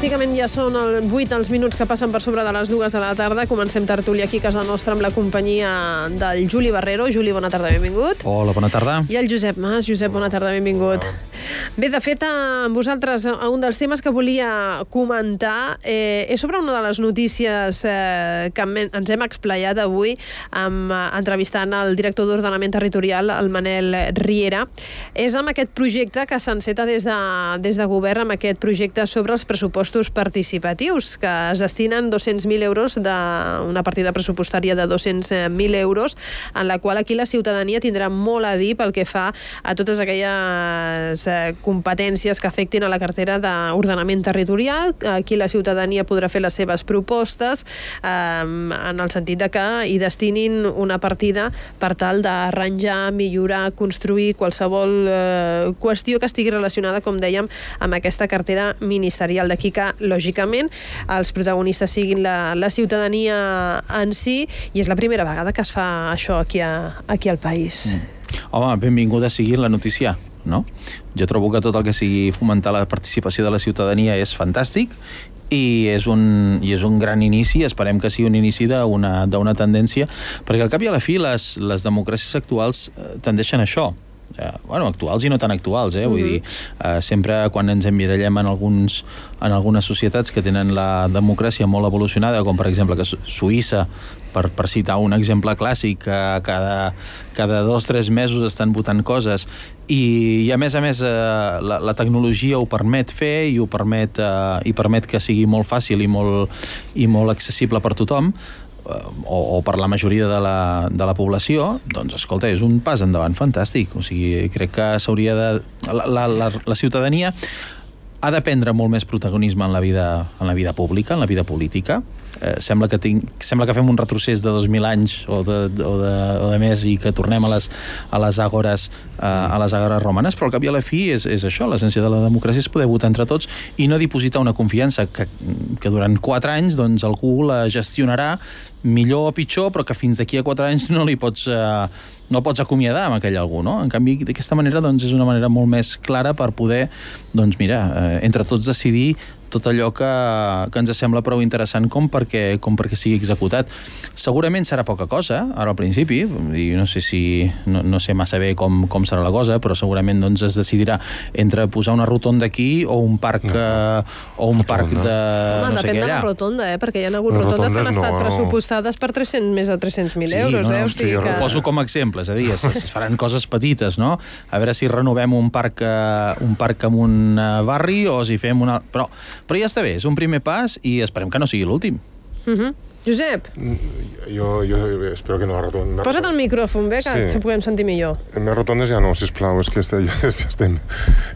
Pràcticament ja són 8 els minuts que passen per sobre de les 2 de la tarda. Comencem tertúlia aquí a casa nostra amb la companyia del Juli Barrero. Juli, bona tarda, benvingut. Hola, bona tarda. I el Josep Mas. Josep, bona tarda, benvingut. Bé, de fet, amb vosaltres, un dels temes que volia comentar és sobre una de les notícies que ens hem explayat avui entrevistant el director d'Ordenament Territorial, el Manel Riera. És amb aquest projecte que s'enceta des de govern, amb aquest projecte sobre els pressupostos participatius, que es destinen 200.000 euros d'una partida pressupostària de 200.000 euros, en la qual aquí la ciutadania tindrà molt a dir pel que fa a totes aquelles competències que afectin a la cartera d'ordenament territorial. Aquí la ciutadania podrà fer les seves propostes en el sentit de que hi destinin una partida per tal d'arranjar, millorar, construir qualsevol qüestió que estigui relacionada, com dèiem, amb aquesta cartera ministerial. D'aquí que, lògicament, els protagonistes siguin la ciutadania en si, i és la primera vegada que es fa això aquí al país. Home, benvinguda sigui la notícia, no? Jo trobo que tot el que sigui fomentar la participació de la ciutadania és fantàstic i és un gran inici. Esperem que sigui un inici d'una tendència, perquè al cap i a la fi les democràcies actuals tendeixen a això. Actuals i no tan actuals, vull dir, sempre quan ens emmirallem en algunes societats que tenen la democràcia molt evolucionada, com per exemple que Suïssa, per citar un exemple clàssic, que cada 2-3 mesos estan votant coses, i a més la tecnologia ho permet fer i permet que sigui molt fàcil i molt accessible per tothom, o per la majoria de la població. Doncs escolta, és un pas endavant fantàstic. O sigui, crec que s'hauria de... La ciutadania ha de prendre molt més protagonisme en la vida pública, en la vida política. Sembla que fem un retrocés de 2.000 anys o de més i que tornem a les àgores romanes, però al cap i a la fi és això. L'essència de la democràcia és poder votar entre tots i no dipositar una confiança que durant 4 anys doncs, algú la gestionarà millor o pitjor, però que fins d'aquí a 4 anys no el pots acomiadar amb aquell algú, no? En canvi, d'aquesta manera doncs, és una manera molt més clara per poder, doncs mira, entre tots decidir tot allò que ens sembla prou interessant com perquè sigui executat. Segurament serà poca cosa, ara al principi, i no sé massa bé com serà la cosa, però segurament doncs, es decidirà entre posar una rotonda aquí o un parc de no sé què allà. Depèn de la rotonda, perquè hi ha hagut rotondes que han estat pressupostades per més de 300.000 euros. Ho poso com a exemple, és a dir, es faran coses petites, no? A veure si renovem un parc en un barri o si fem una... Però ja està bé, és un primer pas i esperem que no sigui l'últim. Josep? Jo espero que no la rotonda... Posa't el micròfon, bé, que se puguem sentir millor. Més rotondes ja no, sisplau, és que ja estem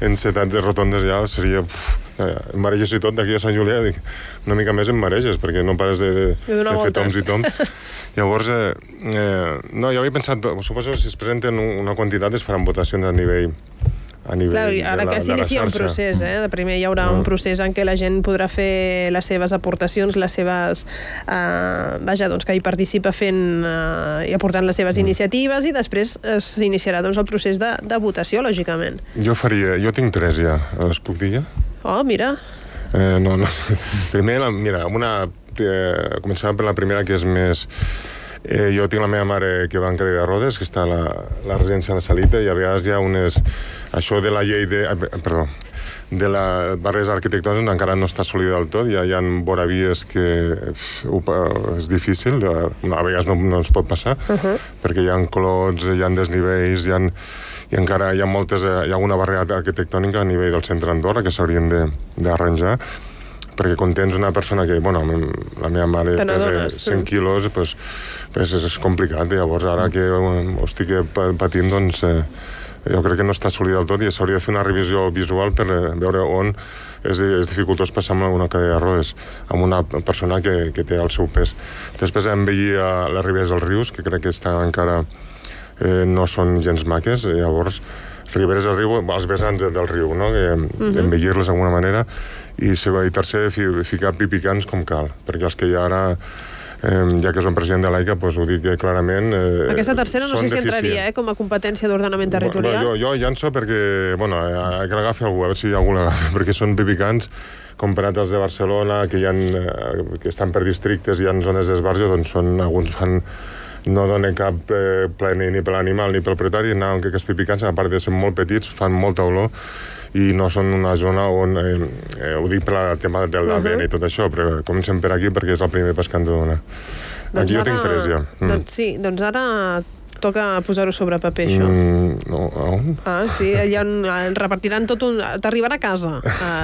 encetats de rotondes, ja seria... Em mareges i tot, d'aquí a Sant Julià, dic, una mica més em mareges, perquè no pares de fer toms i toms. Llavors, no, jo havia pensat, suposo que si es presenten una quantitat es faran votacions a nivell ara que s'inicia un procés, de primer hi haurà un procés en què la gent podrà fer les seves aportacions, les seves... doncs que hi participa fent i aportant les seves iniciatives, i després s'iniciarà doncs, el procés de votació, lògicament. Jo tinc 3 ja, les puc dir ja? Oh, mira. No. Primer, mira, començant per la primera, que és més... Jo tinc la meva mare que va en cadira de rodes, que està a la residència de la Salita, i a vegades hi ha això de la llei de les barreres arquitectòniques encara no està assolida del tot. Hi ha voravies que és difícil, a vegades no ens pot passar, perquè hi ha clots, hi ha desnivells, i encara hi ha alguna barrera arquitectònica a nivell del centre d'Andorra que s'haurien d'arranjar, perquè quan tens una persona que, la meva mare pesa 100 quilos, és complicat. Llavors, ara que ho estic patint, doncs, jo crec que no està assolida del tot i s'hauria de fer una revisió visual per veure on és dificultós passar amb una cadira de rodes, amb una persona que té el seu pes. Després envellir les riberes dels rius, que crec que encara no són gens maques. Llavors, riberes del riu, els vessants del riu, no? Envellir-les d'alguna manera. I tercer, ficar pipicans com cal, perquè els que hi ha ara ja que és un president de l'AICA, doncs ho dic clarament. Aquesta tercera no sé si entraria com a competència d'ordenament territorial. Jo llanço perquè, que l'agafi algú, a veure si algú l'agafa, perquè són pipicants comparat als de Barcelona, que estan per districtes, hi ha zones d'esbarjo, doncs alguns fan no donen cap plaer ni per l'animal ni pel propietari, que els pipicants, a part de ser molt petits, fan molta olor i no són una zona on, ho dic per el tema del ADN i tot això, però comencem per aquí perquè és el primer pas que han de donar. Aquí jo tinc 3 ja. Sí, doncs ara toca posar-ho sobre paper, això. No, on? Sí, allà el repartiran tot t'arribarà a casa,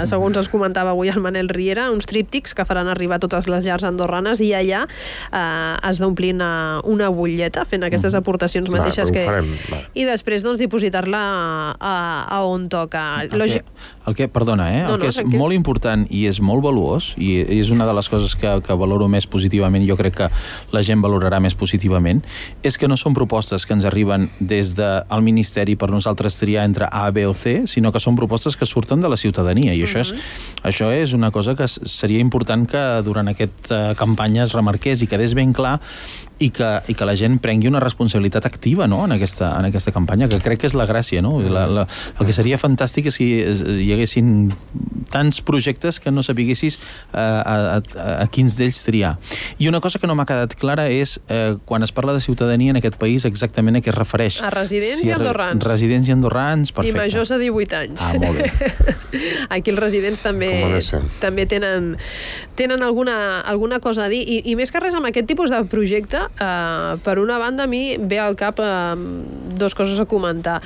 segons ens comentava avui el Manel Riera, uns tríptics que faran arribar a totes les llars andorranes i allà has d'omplir una butlleta fent aquestes aportacions mateixes que... I després, doncs, dipositar-la a on toca. Perdona, el que és molt important i és molt valuós, i és una de les coses que valoro més positivament, jo crec que la gent valorarà més positivament, és que no són propostes que ens arriben des del Ministeri per nosaltres triar entre A, B o C, sinó que són propostes que surten de la ciutadania, i això és una cosa que seria important que durant aquesta campanya es remarqués i quedés ben clar i que la gent prengui una responsabilitat activa, no?, en aquesta campanya, que crec que és la gràcia, no? El que seria fantàstic és si hi haguessin tants projectes que no sapiguessis a quins d'ells triar. I una cosa que no m'ha quedat clara és quan es parla de ciutadania en aquest país, exactament a què es refereix. A residents i andorrans. Residents i andorrans, perfecte. I majors de 18 anys. Molt bé. Aquí els residents també tenen alguna cosa a dir. I més que res, amb aquest tipus de projecte, per una banda, a mi ve al cap 2 coses a comentar.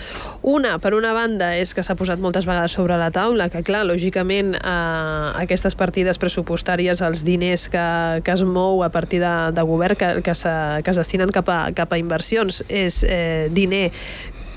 Una, per una banda, és que s'ha posat moltes vegades sobre la taula, que clar, lògicament, aquestes partides pressupostàries, els diners que es mou a partir de govern, que es destinen cap a inversions, és diner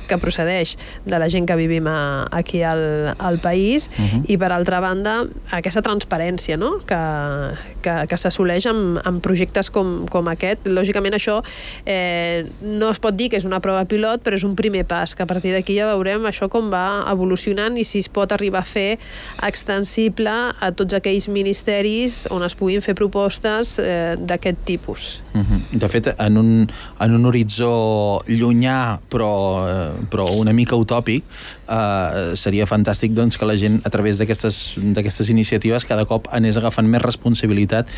que procedeix de la gent que vivim aquí al país, i per altra banda aquesta transparència, no?, que s'assoleix amb projectes com aquest. Lògicament això no es pot dir que és una prova pilot, però és un primer pas, que a partir d'aquí ja veurem això com va evolucionant i si es pot arribar a fer extensible a tots aquells ministeris on es puguin fer propostes d'aquest tipus. De fet, en un horitzó llunyà però una mica utòpic, seria fantàstic doncs, que la gent a través d'aquestes iniciatives cada cop anés agafant més responsabilitat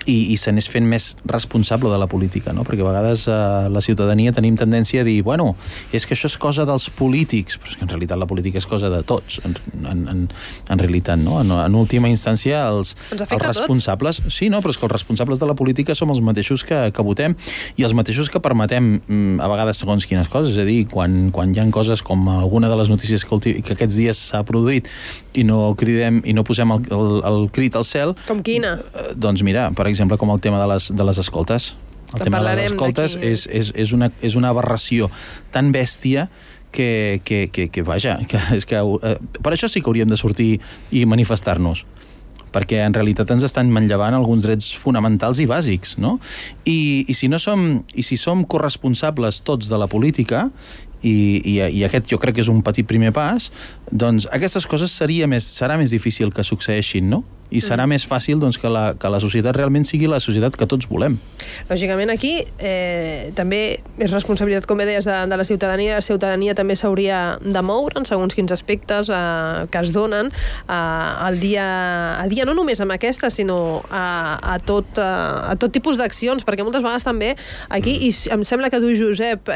i s'anés fent més responsable de la política, no? Perquè a vegades la ciutadania tenim tendència a dir, bueno, és que això és cosa dels polítics, però és que en realitat la política és cosa de tots, en realitat, no? En última instància, els responsables... Sí, no, però és que els responsables de la política som els mateixos que votem i els mateixos que permetem a vegades segons quines coses, és a dir, quan hi ha coses com alguna de les notícies que aquests dies s'ha produït i no cridem i no posem el crit al cel... Com quina? Doncs mira, per exemple, com el tema de les escoltes. El tema de les escoltes és una aberració tan bèstia que vaja, per això sí que hauríem de sortir i manifestar-nos, perquè en realitat ens estan manllevant alguns drets fonamentals i bàsics, no? I si som corresponsables tots de la política, i aquest jo crec que és un petit primer pas, doncs aquestes coses serà més difícil que succeeixin, no? I serà més fàcil doncs, que la societat realment sigui la societat que tots volem. Lògicament aquí també és responsabilitat, com bé deies, de la ciutadania. La ciutadania també s'hauria de moure en segons quins aspectes que es donen al dia a dia, no només amb aquesta, sinó a tot tipus d'accions, perquè moltes vegades també aquí, i em sembla que tu, Josep,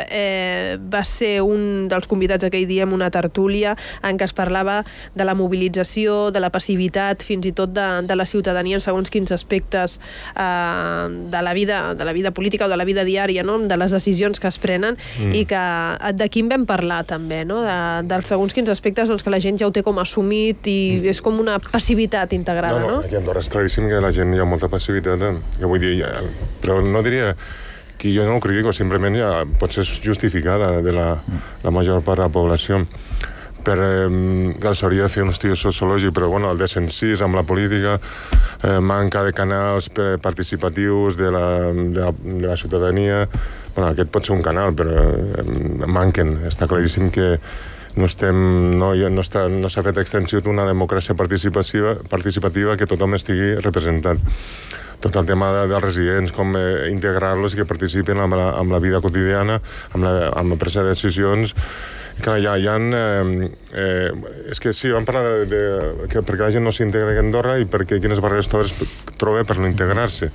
vas ser un dels convidats aquell dia en una tertúlia en què es parlava de la mobilització, de la passivitat, fins i tot de la ciutadania en segons quins aspectes de la vida política o de la vida diària, no?, de les decisions que es prenen, i que d'aquí en vam parlar també, no?, dels segons quins aspectes doncs, que la gent ja ho té com assumit i és com una passivitat integrada, no? Aquí a Andorra és claríssim que la gent hi ha molta passivitat, que vull dir, però no diria que jo no ho critico, simplement ja pot ser justificada de la major part de la població. S'hauria de fer un estudi sociològic, però bueno, el descensís amb la política, manca de canals participatius de la ciutadania. Bueno, aquest pot ser un canal, però manquen. Està claríssim que no s'ha fet extensió d'una democràcia participativa que tothom estigui representat. Tot el tema dels residents, com integrar-los i que participin amb la vida quotidiana, amb la presa de decisions. Clar, és que sí, vam parlar que perquè la gent no s'integra a Andorra i perquè quines barreres troba per no integrar-se.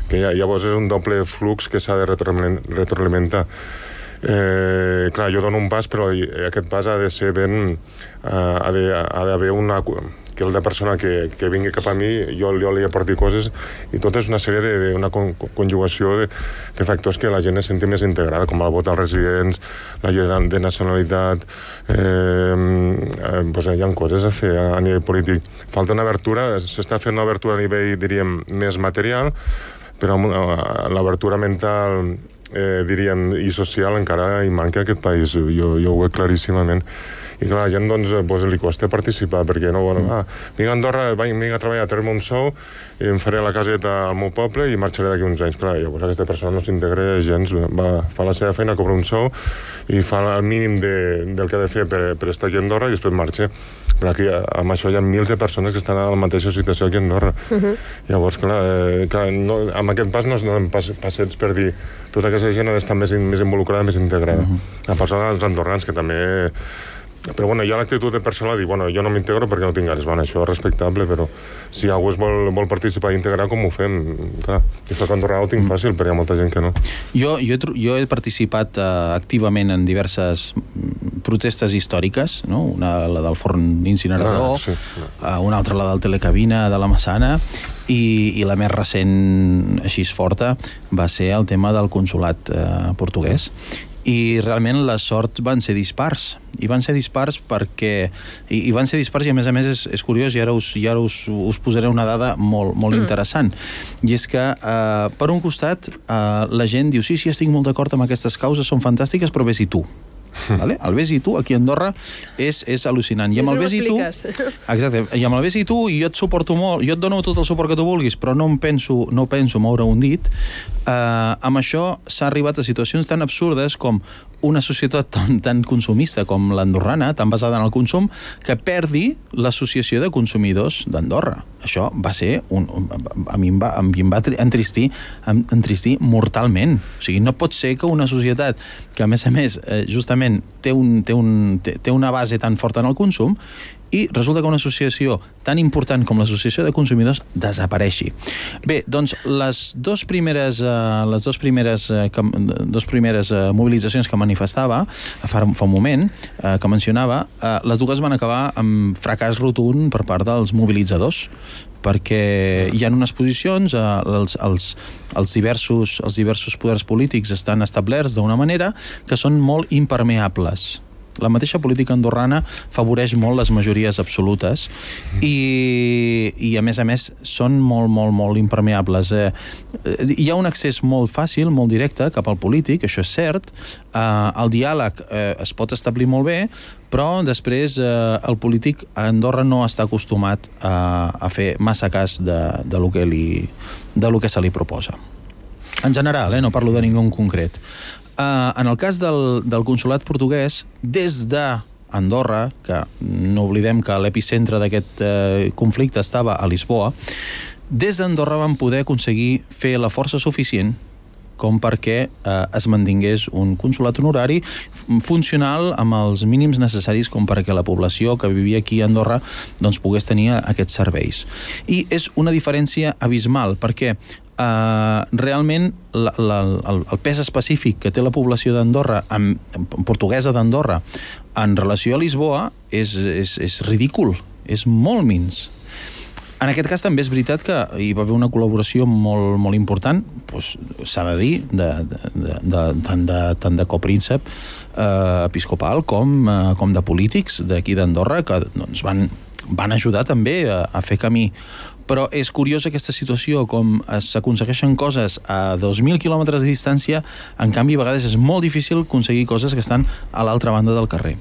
Que llavors és un doble flux que s'ha de retroalimentar. Clar, jo dono un pas, però aquest pas ha de ser ben... ha d'haver una... que la persona que vingui cap a mi, jo li aporti coses, i tot és una sèrie d'una conjugació de factors que la gent es senti més integrada, com el vot als residents, la llei de nacionalitat, hi ha coses a fer a nivell polític. Falta una obertura, s'està fent una obertura a nivell, diríem, més material, però l'obertura mental, diríem, i social encara hi manca a aquest país, jo ho veig claríssimament. I clar, la gent li costa participar, perquè no, vinc a Andorra, vinc a treballar, a treure-me un sou, em faré la caseta al meu poble i marxaré d'aquí uns anys. Clar, llavors aquesta persona no s'integra gens, fa la seva feina, cobra un sou i fa el mínim del que ha de fer per estar aquí a Andorra i després marxa. Però aquí, amb això, hi ha mils de persones que estan a la mateixa situació aquí a Andorra. Llavors, clar, amb aquest pas no es donen passets per dir tota aquesta gent ha d'estar més involucrada, més integrada. A part dels andorrans, que també... Però hi ha l'actitud de persona de dir, jo no m'integro perquè no tinc ganes. Això és respectable, però si algú vol participar i integrar, com ho fem? Clar, jo soc andorrà, ho tinc fàcil, però hi ha molta gent que no. Jo he participat activament en diverses protestes històriques, no? Una, la del forn incinerador, una altra, la del telecabina de la Massana, i la més recent, així forta, va ser el tema del consolat portuguès. I realment les sorts van ser dispars. I van ser dispars perquè... I van ser dispars i, a més, és curiós, i ara us posaré una dada molt interessant. I és que, per un costat, la gent diu, sí, estic molt d'acord amb aquestes causes, són fantàstiques, però vés-hi tu. Vale? El vés-hi tu, aquí a Andorra, és al·lucinant. I amb el vés-hi tu... Exacte. I amb el vés-hi tu, i jo et suporto molt, jo et dono tot el suport que tu vulguis, però no penso moure un dit. Amb això s'ha arribat a situacions tan absurdes com una societat tan consumista com l'andorrana, tan basada en el consum, que perdi l'associació de consumidors d'Andorra. Això va ser... A mi em va entristir mortalment. O sigui, no pot ser que una societat que, a més, justament té una base tan forta en el consum i resulta que una associació tan important com l'Associació de Consumidors desapareixi. Bé, doncs les dues primeres mobilitzacions que manifestava fa un moment, que mencionava, les dues van acabar amb fracàs rotund per part dels mobilitzadors, perquè hi ha unes posicions, els diversos poders polítics estan establerts d'una manera que són molt impermeables. La mateixa política andorrana favoreix molt les majories absolutes i a més, són molt impermeables. Hi ha un accés molt fàcil, molt directe cap al polític, això és cert. El diàleg es pot establir molt bé, però després el polític a Andorra no està acostumat a fer massa cas de lo que se li proposa. En general, no parlo de ningú en concret. En el cas del consolat portuguès, des d'Andorra, que no oblidem que l'epicentre d'aquest conflicte estava a Lisboa, des d'Andorra vam poder aconseguir fer la força suficient com perquè es mantingués un consolat honorari funcional amb els mínims necessaris com perquè la població que vivia aquí a Andorra doncs pogués tenir aquests serveis. I és una diferència abismal, perquè realment el pes específic que té la població d'Andorra, portuguesa d'Andorra, en relació a Lisboa és ridícul, és molt minç. En aquest cas també és veritat que hi va haver una col·laboració molt important, s'ha de dir, tant de copríncep episcopal com de polítics d'aquí d'Andorra, que van ajudar també a fer camí. Però és curiosa aquesta situació, com s'aconsegueixen coses a 2.000 quilòmetres de distància, en canvi a vegades és molt difícil aconseguir coses que estan a l'altra banda del carrer.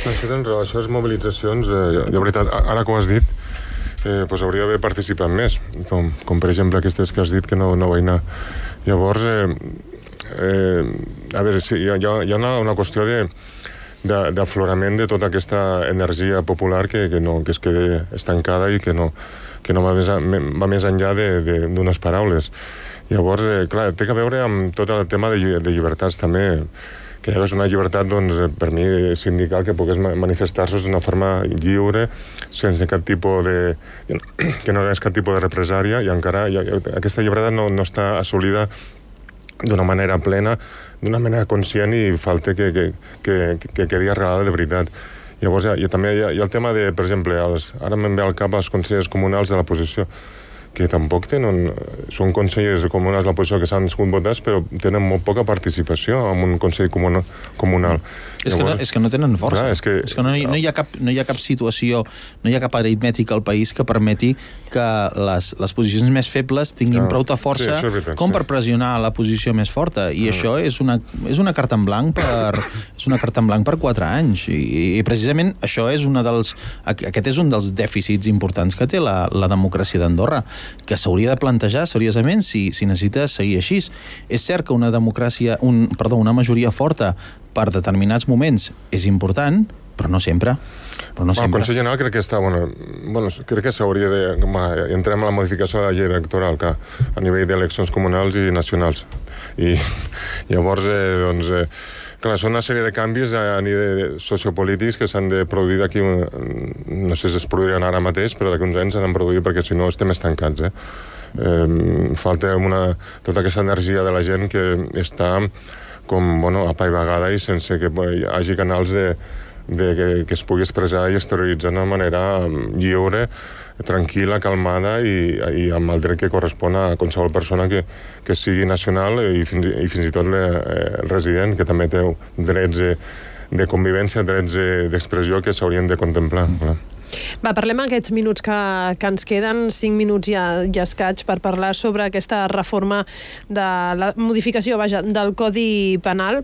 Això tens raó, això és mobilitzacions, de veritat, ara que ho has dit, hauria d'haver participat més, com per exemple aquestes que has dit que no vaig anar. Llavors, a veure, sí, hi ha una qüestió d'aflorament de tota aquesta energia popular que es queda estancada i que no va més enllà d'unes paraules. Llavors, clar, té a veure amb tot el tema de llibertats també, que és una llibertat, doncs, per mi, sindical, que pogués manifestar-se d'una forma lliure, sense cap tipus que no hi hagués cap tipus de represària, i encara aquesta llibertat no està assolida d'una manera plena, d'una manera conscient, i falta que quedi arrelada de veritat. Llavors, també hi ha el tema de, per exemple, ara me'n ve al cap els consellers comunals de l'oposició, que tampoc són consellers comunals de l'oposició que s'han sigut votats, però tenen molt poca participació en un consell comunal. És que no tenen força. Clar, és que no hi ha cap situació, no hi ha cap aritmètica al país que permeti que les posicions més febles tinguin prou força com per pressionar la posició més forta, i això és una carta en blanc per 4 anys, i precisament això és aquest és un dels dèficits importants que té la democràcia d'Andorra, que s'hauria de plantejar seriosament si necessita seguir així. És cert que una majoria forta per determinats moments és important, però no sempre. El Consell General crec que està... crec que s'hauria de... Entrem a la modificació de la llei electoral, que a nivell d'eleccions comunals i nacionals. I llavors, clar, són una sèrie de canvis a nivell sociopolítics que s'han de produir d'aquí... No sé si es produiran ara mateix, però d'aquí uns anys s'han de produir, perquè si no estem estancats. Falta tota aquesta energia de la gent que està com apaivagada i sense que hi hagi canals que es pugui expressar i exterioritzar d'una manera lliure, tranquil·la, calmada i amb el dret que correspon a qualsevol persona que sigui nacional i fins i tot el resident, que també té drets de convivència, drets d'expressió que s'haurien de contemplar. Va, parlem aquests minuts que ens queden, 5 minuts i escaig, per parlar sobre aquesta reforma de la modificació, del Codi Penal,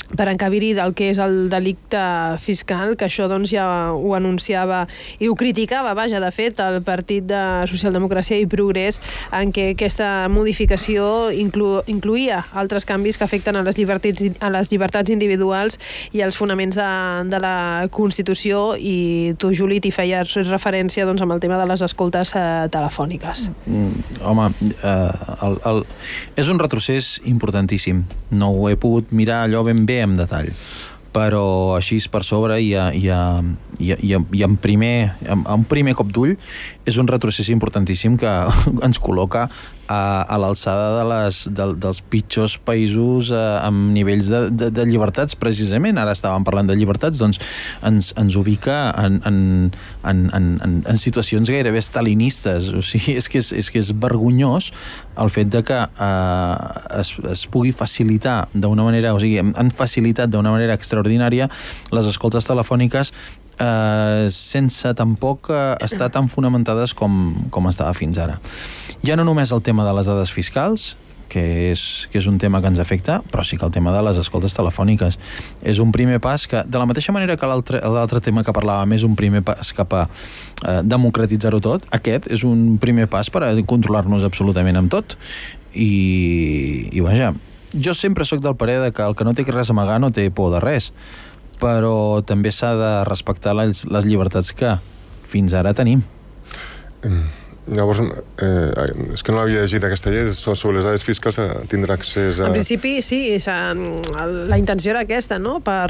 per encabir-hi del que és el delicte fiscal, que això doncs ja ho anunciava i ho criticava, de fet, el Partit de Socialdemocràcia i Progrés, en què aquesta modificació incluïa altres canvis que afecten a les llibertats individuals i als fonaments de la Constitució, i tu, Juli, t'hi feies referència amb el tema de les escoltes telefòniques. Home, és un retrocés importantíssim. No ho he pogut mirar allò ben bé en detall, però així per sobre i en primer cop d'ull és un retrocés importantíssim que ens col·loca a l'alçada dels pitjors països amb nivells de llibertats, precisament. Ara estàvem parlant de llibertats, doncs ens ubica en situacions gairebé stalinistes. O sigui, és que és vergonyós el fet de que es pugui facilitar d'una manera, o sigui, han facilitat d'una manera extraordinària les escoltes telefòniques sense tampoc estar tan fonamentades com estava fins ara. Ja no només el tema de les dades fiscals, que és un tema que ens afecta, però sí que el tema de les escoltes telefòniques és un primer pas que, de la mateixa manera que l'altre tema que parlàvem és un primer pas cap a democratitzar-ho tot, aquest és un primer pas per a controlar-nos absolutament amb tot. I vaja, jo sempre sóc del parer que el que no té res a amagar no té por de res, però també s'ha de respectar les llibertats que fins ara tenim. Llavors, és que no l'havia llegit aquesta llei, sobre les dades fiscals tindrà accés a... En principi, sí, la intenció era aquesta, no?, per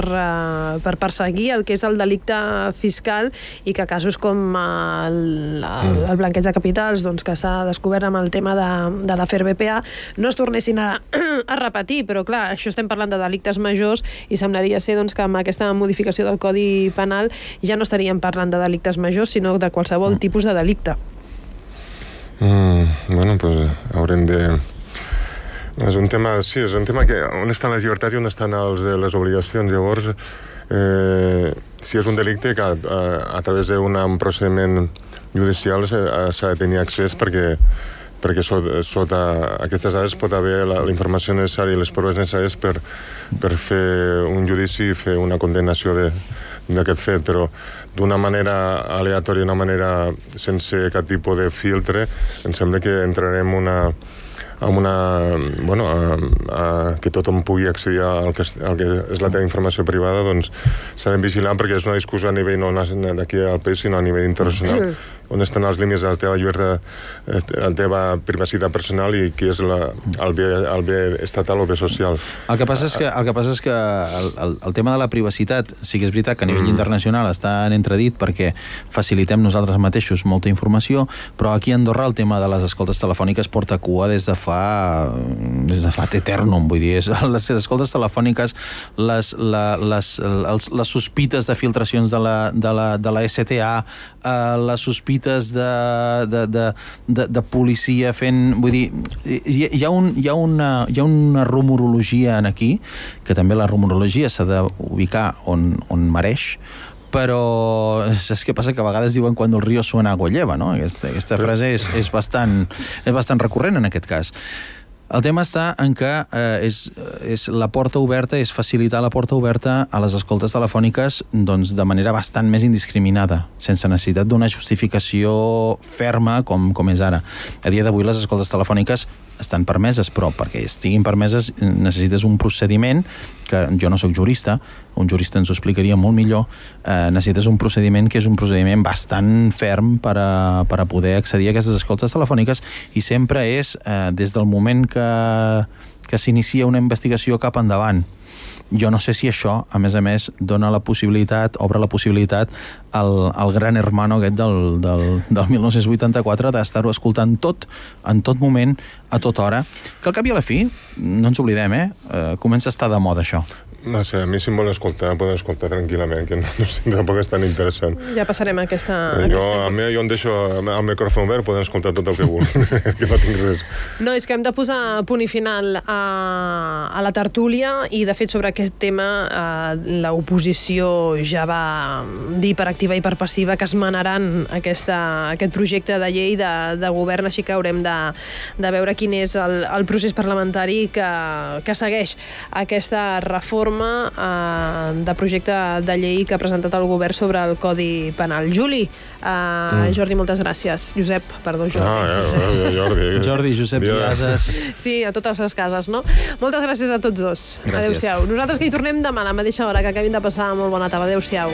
perseguir el que és el delicte fiscal, i que casos com el blanqueig de capitals, doncs, que s'ha descobert amb el tema de l'afer BPA, no es tornessin a repetir. Però clar, això estem parlant de delictes majors, i semblaria ser doncs, que amb aquesta modificació del Codi Penal ja no estaríem parlant de delictes majors, sinó de qualsevol tipus de delicte. Bueno, pues haurem de... És un tema que on estan les llibertats i on estan les obligacions. Llavors, si és un delicte que a través d'un procediment judicial s'ha de tenir accés, perquè sota aquestes dades pot haver la informació necessària i les proves necessàries per fer un judici i fer una condenació d'aquest fet, però d'una manera aleatòria, d'una manera sense cap tipus de filtre, em sembla que entrarem que tothom pugui accedir al que és la teva informació privada, doncs s'ha de vigilar, perquè és una discussió a nivell no d'aquí al país, sinó a nivell internacional, on estan els límits de la teva llibertat, la teva privacitat personal i qui és el bé estatal o bé social. El que passa és que el tema de la privacitat, sí que és veritat que a nivell internacional està en entredit perquè facilitem nosaltres mateixos molta informació, però aquí a Andorra el tema de les escoltes telefòniques porta cua des de fa eternum, vull dir, les escoltes telefòniques, les sospites de filtracions de la STA, les sospites de policia fent... Vull dir, hi ha una rumorologia aquí, que també la rumorologia s'ha d'ubicar on mereix, però saps què passa? Que a vegades diuen quan el río suena agua lleva, no? Aquesta frase és bastant recurrent en aquest cas. El tema està en que és la porta oberta, és facilitar la porta oberta a les escoltes telefòniques doncs, de manera bastant més indiscriminada, sense necessitat d'una justificació ferma com és ara. A dia d'avui les escoltes telefòniques estan permeses, però perquè estiguin permeses necessites un procediment que jo no sóc jurista, un jurista ens ho explicaria molt millor, necessites un procediment que és un procediment bastant ferm per a poder accedir a aquestes escoltes telefòniques, i sempre és des del moment que s'inicia una investigació cap endavant. Jo no sé si això, a més, dona la possibilitat, obre la possibilitat al gran hermano aquest del 1984 d'estar-ho escoltant tot, en tot moment, a tota hora, que al cap i a la fi, no ens oblidem, comença a estar de moda això. No sé, a mi si em volen escoltar, poden escoltar tranquil·lament, que no sé, tampoc és tan interessant. Ja passarem a aquesta... Jo em deixo el micròfon obert, poden escoltar tot el que vulguin, que no tinc res. No, és que hem de posar punt i final a la tertúlia, i de fet sobre aquest tema l'oposició ja va dir per activa i per passiva que es manaran aquest projecte de llei de govern, així que haurem de veure quin és el procés parlamentari que segueix aquesta reforma de projecte de llei que ha presentat el govern sobre el Codi Penal. Juli, Jordi, moltes gràcies. Josep, perdó, Jordi. Jordi, Josep Vilases. Sí, a totes les cases, no? Moltes gràcies a tots dos. Gràcies. Adéu-siau. Nosaltres que hi tornem demà a la mateixa hora, que acabin de passar molt bona tarda. Adéu-siau.